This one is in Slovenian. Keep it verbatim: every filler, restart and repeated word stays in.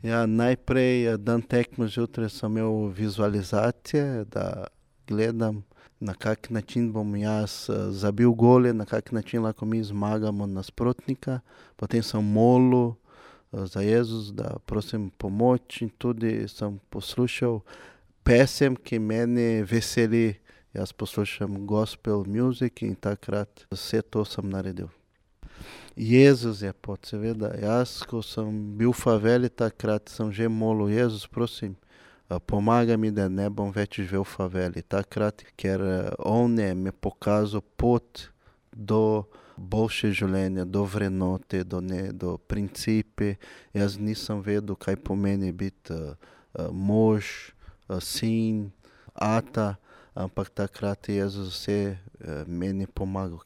Ja, najprej dan tekme zjutraj sem imel vizualizacije, da gledam, na kak način bom jaz zabil gole, na kak način lahko mi zmagamo nasprotnika. Potem sem molil za Jezus, da prosim pomoč, in tudi sem poslušal pesem, ki mene veseli. Jaz poslušam gospel music in takrat vse to sem naredil. Jezus je pot, seveda. Jaz, ko sem bil v faveli, takrat sem že molil: Jezus, prosim, pomagaj mi, da ne bom več živel v faveli. Takrat, ker on je mi pokazal pot do boljše življenja, do vrednote, do do principi. Jaz nisem vedel, kaj pomeni biti mož, sin, ata, ampak takrat je Jezus vse meni pomagal.